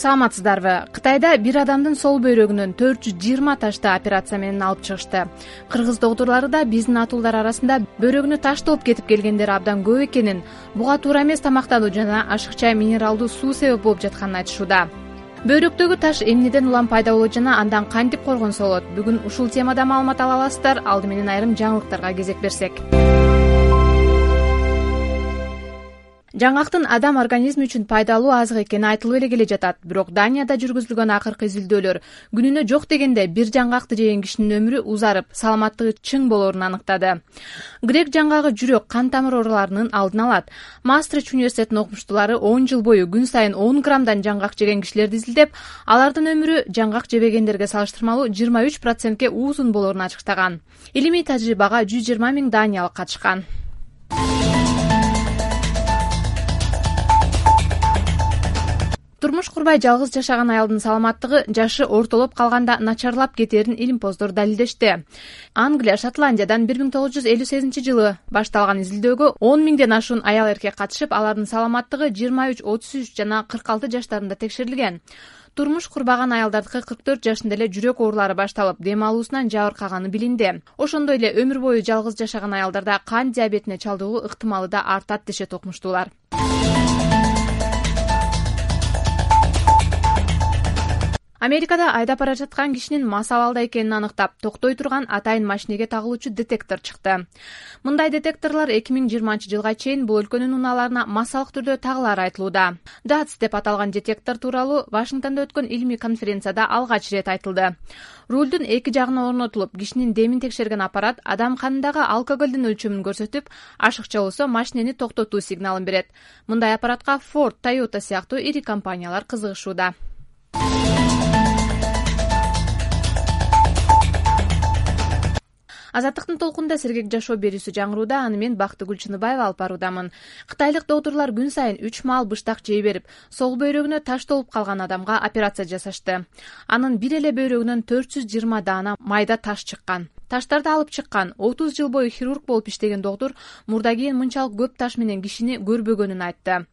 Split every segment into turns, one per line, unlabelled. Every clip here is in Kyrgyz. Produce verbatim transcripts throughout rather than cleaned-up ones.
Саламатсыздарбы? Кытайда бир адамдын сол бөйрөгүнөн төрт жүз жыйырма ташты операция менен алып чыгышты. Кыргыз доктурлары да биздин атуулдар арасында бөйрөгүнө таш толуп кетип келгендер абдан көп экенин, буга туура эмес тамактануу жана ашыкча минералдуу суу себеп болуп жатканын айтышууда. Бөйрөктөгү таш эмнеден улам пайда болот жана андан кантип коргонсо болот? Бүгүн ушул темада маалымат ала аласыздар. Алды менен айрым жаңылыктарга кезек берсек. Жаңгактын адам организми үчүн пайдалуу азык экени айтылып эле келе жатат. Бирок Данияда жүргүзүлгөн акыркы изилдөөлөр күнүнө жок дегенде бир жаңгакты жеген кишинин өмүрү узарып, саламаттыгы чың болоорун аныктады. Грек жаңгагы жүрөк, кан тамыр ооруларынын алдын алат. Мастрич университетинин окумуштуулары он жыл бою күн сайын он граммдан жаңгак жеген кишилерди изилдеп, алардын өмүрү жаңгак жебегендерге салыштырмалуу жыйырма үч процентке узун болоорун ачыктаган. Илимий тажрыйбага жүз жыйырма миң даниялык катышкан. Турмуш курбай жалгыз жашаган аялдын саламаттыгы жашы ортолоп калганда начарлап кетээрин илимпоздор далилдешти. Англия, Шотландиядан бир миң тогуз жүз элүү сегизинчи жылы башталган изилдөөгө он миңден ашуун аял эркек катышып, алардын саламаттыгы жыйырма үч, отуз үч жана кырк алты жаштарында текшерилген. Турмуш курбаган аялдардыкы кырк төрт жашында эле жүрөк оорулары башталып, дем алуусунан жабыркаганы билинди. Ошондой эле өмүр бою жалгыз жашаган аялдарда кант диабетине чалдыгуу ыктымалы да артат дешет окумуштуулар. Америкада айдап бара жаткан кишинин мас абалда экенин аныктап, токтой турган атайын машинеге тагылуучу детектор чыкты. Мындай детекторлор эки миң жыйырманчы жылга чейин бул өлкөнүн унааларына массалык түрдө тагылары айтылууда. дац деп аталган детектор тууралуу Вашингтондо өткөн илимий конференцияда алгач ирет айтылды. Рулдун эки жагына орнотулуп, кишинин демин текшерген аппарат адам канындагы алкоголдун өлчөмүн көрсөтүп, ашыкча болсо машинени токтотуу сигналын берет. Мындай аппаратка Ford, Toyota сыяктуу ири компаниялар кызыгышууда. Азаттыктын толкунда сергек жашоо берүүсү жаңырууда, аны мен Бактыгүл Чыныбаева алып баруудамын. Кытайлык доктурлар күн сайын үч маал быштак жей берип, сол бөйрөгүнө таш толуп калган адамга операция жасашты. Анын бир эле бөйрөгүнөн төрт жүз жыйырма даана майда таш чыккан. Таштарды алып чыккан отуз жыл бою хирург болуп иштеген доктур мурда кийин мынчалык көп таш менен кишини көрбөгөнүн айтты.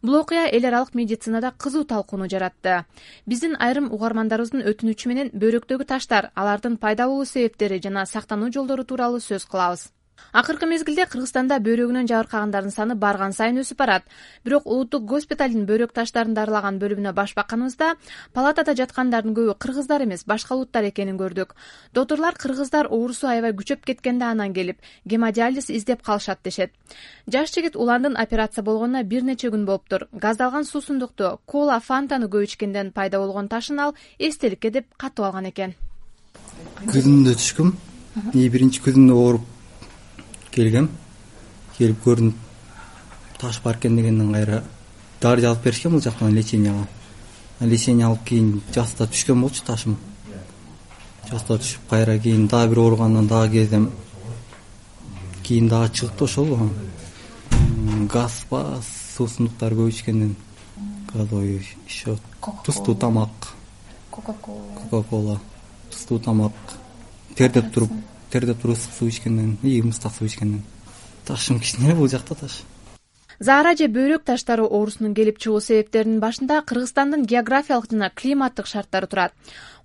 Бул окуя эл аралык медицинада кызуу талкууну жаратты. Биздин айрым угармандарыбыздын өтүнүчү менен бөйрөктөгү таштар, алардын пайда болуу себептери жана сактануу жолдору тууралуу сөз кылабыз. Акыркы мезгилде Кыргызстанда бөйрөгүнөн жабыркагандардын саны барган сайын өсүп барат. Бирок улуттук госпиталдын бөйрөк таштарын дарылаган бөлүмүнө баш бакканыбызда палатада жаткандардын көбү кыргыздар эмес, башка улуттар экенин көрдүк. Доктурлар кыргыздар оорусу аябай күчөп кеткенде анан келип, гемодиализ издеп калышат дешет. Жаш жигит уландын операция болгонуна бир нече күн болуптур. Газдалган суусундукту, кола, фантаны көп ичкенден пайда болгон ташын ал эстеликке деп катып алган экен.
Күзүндө түшкүм. И биринчи күзүндө ооруп келгем, келип көрдүм таш бар экен дегенден кайра дары жазып беришкен бул жактан леченияга. Лечение алып кийин жаста түшкөн болчу ташым. Жаста түшүп кайра кийин дагы бир ооругандан дагы кездем. Кийин дагы чыгыпты ошол. Газ ба, суусундуктар көп ичкенден. Газой еще тустуу тамак.
Кока-кола.
Кока-кола. Тустуу тамак. Тердеп туруп тердеп туруп ысык суу ичкенден, и мыстак суу ичкенден. Ташым кичине бул жакта таш.
Заара же бөйрөк таштары оорусунун келип чыгуу себептеринин башында Кыргызстандын географиялык жана климаттык шарттары турат.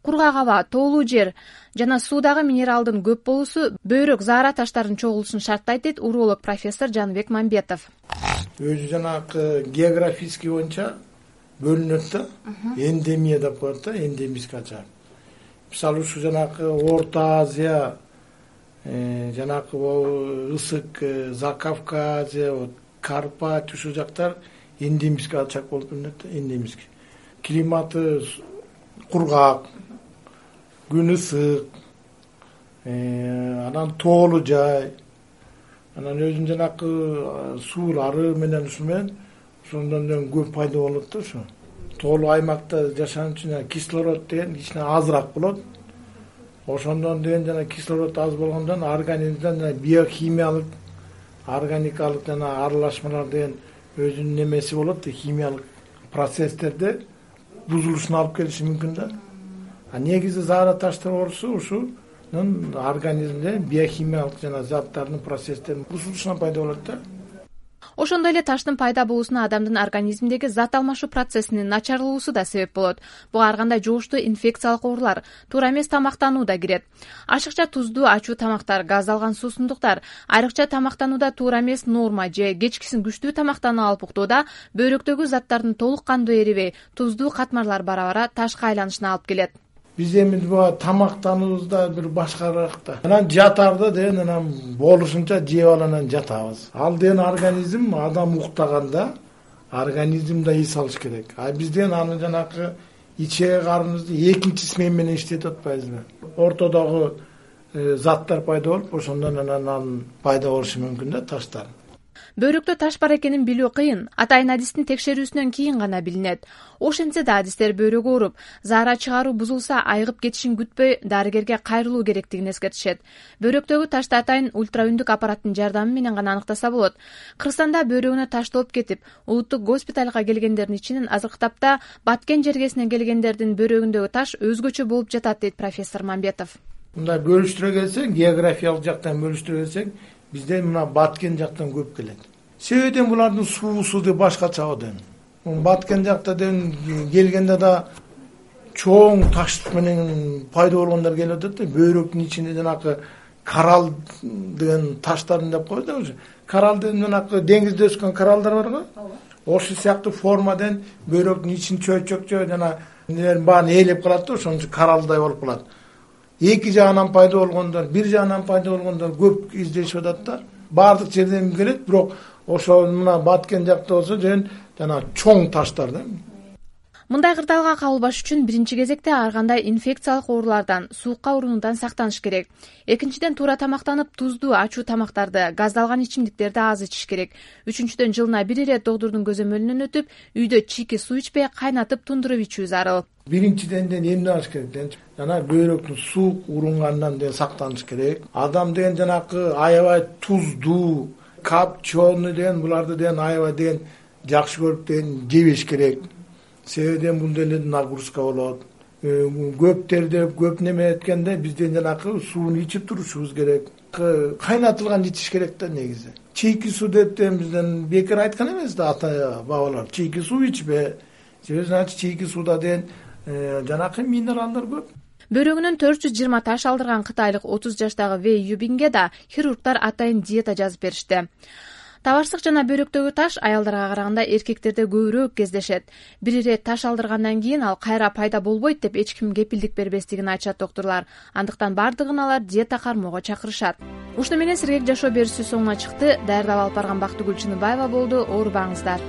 Кургак аба, тоолуу жер жана суудагы минералдын көп болуусу бөйрөк заара таштарынын чогулушун шарттайт дейт уролог профессор Жаныбек Мамбетов.
Өзү жанагы географический боюнча бөлүнөт да, эндемия деп коет да, эндемический ачар. Мисалы ушу жанагы Орто Азия, жанагы ысык Закавказье, Карпат ушул жактар эндемический ачак болуп билинет да, эндемический. Климаты кургак, күн ысык, анан тоолуу жай, анан өзүнүн жанагы суулары менен ушу менен ошондон көп пайда болот да ушу. Тоолуу аймакта жашаган үчүн кислород деген кичине азыраак болот. Ошондон деген жана кислород аз болгондон организмден биохимиялык, органикалык жана аралашмалар деген өзүнүн немеси болот, химиялык процесстерде бузулушуна алып келиши мүмкүн да. А негизи заара таштар оорусу ушунун организмде биохимиялык жана заттардын процесстеринин бузулушунан пайда болот да.
Ошондой эле таштын пайда болуусуна адамдын организминдеги зат алмашуу процессинин начарлуусу да себеп болот. Буга ар кандай жугуштуу инфекциялык оорулар, туура эмес тамактануу да кирет. Ашыкча туздуу, ачуу тамактар, газдалган суусундуктар, айрыкча тамактанууда туура эмес норма же кечкисин күчтүү тамактануу алып уктууда бөйрөктөгү заттардын толук кандуу эрибей, туздуу катмарлар бара-бара ташка айланышына алып келет.
Биз эми буга тамактануубузда бир башкараак да. Анан жатарда деген анан болушунча жеп алып анан жатабыз. Ал деген организм адам уктаганда организм да эс алыш керек. А биз деген аны жанакы ичеги карыныбызды экинчи смена менен иштетип атпайбызбы? Ортодогу заттар пайда болуп, ошондон анан анын пайда болушу мүмкүн да таштар.
Бөйрөктө таш бар экенин билүү кыйын, атайын адистин текшерүүсүнөн кийин гана билинет. Ошентсе да адистер бөйрөгү ооруп, заара чыгаруу бузулса айыгып кетишин күтпөй дарыгерге кайрылуу керектигин эскертишет. Бөйрөктөгү ташты атайын ультраүндүк аппараттын жардамы менен гана аныктаса болот. Кыргызстанда бөйрөгүнө таш толуп кетип, улуттук госпиталга келгендердин ичинен азыркы тапта Баткен жергесинен келгендердин бөйрөгүндөгү таш өзгөчө болуп жатат, дейт профессор Мамбетов.
Мындай бөлүштүрө келсек, географиялык жактан бөлүштүрө келсек, бизде мына Баткен жактан көп келет. Себеби булардын суусу да башкача да. Баткен жакта деген келгенде да чоң таш менен пайда болгондор келип атат да, бөйрөктүн ичинде жанакы коралл деген таштарын деп коет да. Коралл деген жанакы деңизде өскөн кораллдар бар го. Ошол сыяктуу формадан бөйрөктүн ичин чөйчөкчө жана нелерин баарын ээлеп калат да, ошон үчүн кораллдай болуп калат. Эки жагынан пайда болгондор, бир жагынан пайда болгондор көп издешип атат да. Баардык жерден келет, бирок ошо мына Баткен жакта болсо жөн жана чоң таштар да.
Мындай кырдаалга кабылбаш үчүн биринчи кезекте ар кандай инфекциялык оорулардан, суукка урунуудан сактаныш керек. Экинчиден туура тамактанып, туздуу, ачуу тамактарды, газдалган ичимдиктерди аз ичиш керек. Үчүнчүдөн жылына бир ирет доктурдун көзөмөлүнөн өтүп, үйдө чийки суу ичпей, кайнатып, тундуруп ичүү зарыл.
Биринчиден эмне алыш керек? Жана бөйрөктүн суук урунгандан деген сактаныш керек. Адам деген жанакы аябай туздуу, капчону деген буларды деген аябай деген жакшы көрүп деген жебеш керек. Себеби бул деле нагрузка болот. Көптөрдө көп неме эткенде бизден жанакы сууну ичип турушубуз керек. Кайнатылган ичиш керек да негизи. Чийки суу деп бизден бекер айткан эмес да ата бабалар. Чийки суу ичпе. Себеби значит чийки сууда деген жанакы минералдар көп.
Бөйрөгүнөн төрт жүз жыйырма таш алдырган кытайлык отуз жаштагы Вэй Юбинге да хирургдар атайын диета жазып беришти. Табарсык жана бөйрөктөгү таш аялдарга караганда эркектерде көбүрөөк кездешет. Бир ирет таш алдыргандан кийин ал кайра пайда болбойт деп эч ким кепилдик бербестигин айтышат доктурлар. Андыктан бардыгын алар диета кармоого чакырышат. Ушуну менен сергек жашоо берүүсү соңуна чыкты. Даярдап алып барган Бактыгүл Чыныбаева болду. Оорубаңыздар.